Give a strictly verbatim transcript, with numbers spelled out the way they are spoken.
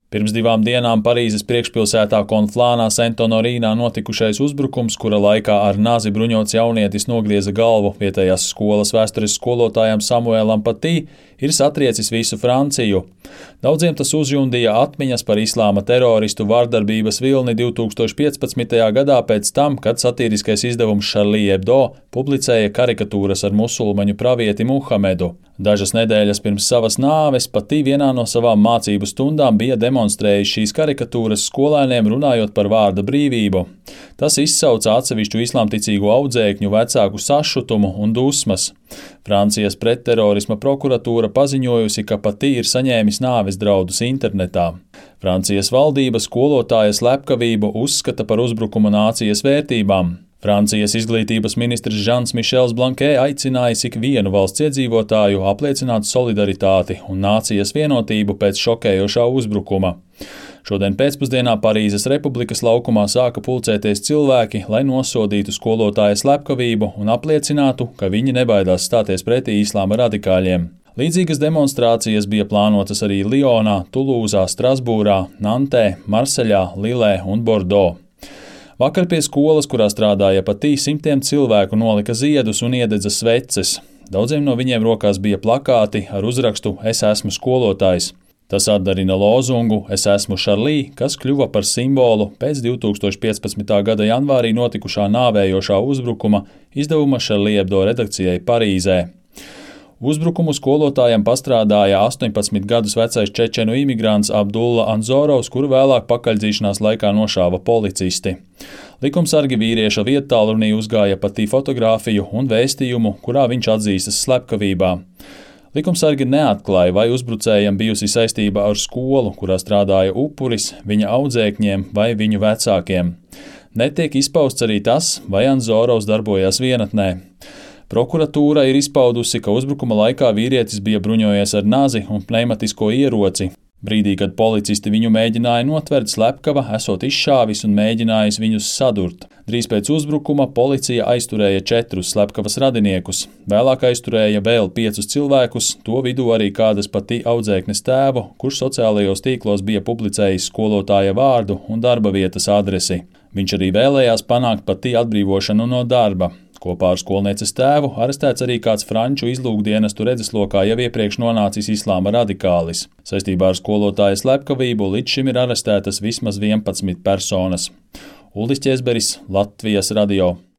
Pirms divām dienām Parīzes priekšpilsētā Konflānā Sent-Honorīnā notikušais uzbrukums, kura laikā ar nazi bruņots jaunietis nogrieza galvu vietējās skolas vēstures skolotājam Samuēlam Patī, ir satriecis visu Franciju. Daudziem tas uzjundīja atmiņas par islāma teroristu vardarbības vilni divi tūkstoši piecpadsmitajā gadā pēc tam, kad satīriskais izdevums Charlie Hebdo publicēja karikatūras ar musulmaņu pravieti Muhamedu. Dažas nedēļas pirms savas nāves Patī vienā no savām mācību stundām bija demonstrējis šīs karikatūras skolēniem runājot par vārda brīvību. Tas izsauca atsevišķu islāmticīgu audzēkņu vecāku sašutumu un dusmas. Francijas pretterorisma prokuratūra paziņojusi, ka Patī ir saņēmis nāves draudus internetā. Francijas valdība skolotāja slepkavību uzskata par uzbrukumu nācijas vērtībām. Francijas izglītības ministrs Žans Mišels Blankē aicinājis ikvienu valsts iedzīvotāju apliecināt solidaritāti un nācijas vienotību pēc šokējošā uzbrukuma. Šodien pēcpusdienā Parīzes Republikas laukumā sāka pulcēties cilvēki, lai nosodītu skolotāja slepkavību un apliecinātu, ka viņi nebaidās stāties pretī islāma radikāļiem. Līdzīgas demonstrācijas bija plānotas arī Lionā, Tulūzā, Strasbūrā, Nantē, Marseļā, Lilē un Bordo. Vakar pie skolas, kurā strādāja Patī, simtiem cilvēku nolika ziedus un iededza sveces. Daudziem no viņiem rokās bija plakāti ar uzrakstu "Es esmu skolotājs". Tas atdarina lozungu "Es esmu Charlie", kas kļuva par simbolu pēc divi tūkstoši piecpadsmitā gada janvārī notikušā nāvējošā uzbrukuma izdevuma Charlie Hebdo redakcijai Parīzē. Uzbrukumu skolotājam pastrādāja astoņpadsmit gadus vecais čečenu imigrants Abdulla Anzorovs, kuru vēlāk pakaļdzīšanās laikā nošāva policisti. Likumsargi vīrieša viettālrunī uzgāja Patī fotogrāfiju un vēstījumu, kurā viņš atzīstas slepkavībā. Likumsargi neatklāja, vai uzbrucējam bijusi saistība ar skolu, kurā strādāja upuris, viņa audzēkņiem vai viņu vecākiem. Netiek izpausts arī tas, vai Anzorovs darbojās vienatnē. Prokuratūra ir izpaudusi, ka uzbrukuma laikā vīrietis bija bruņojies ar nazi un pneimatisko ieroci. Brīdī, kad policisti viņu mēģināja notvert, slepkava esot izšāvis un mēģinājis viņus sadurt. Drīz pēc uzbrukuma policija aizturēja četrus slepkavas radiniekus. Vēlāk aizturēja vēl piecus cilvēkus, to vidū arī kādas Patī audzēknes tēvu, kurš sociālajos tīklos bija publicējis skolotāja vārdu un darba vietas adresi. Viņš arī vēlējās panākt Patī atbrīvošanu no darba. Kopā ar skolnieces tēvu arestēts arī kāds franču izlūkdienestu redzeslokā jau iepriekš nonācis islāma radikālis. Saistībā ar skolotāja slepkavību līdz šim ir arestētas vismaz vienpadsmit personas. Uldis Ķezberis, Latvijas radio.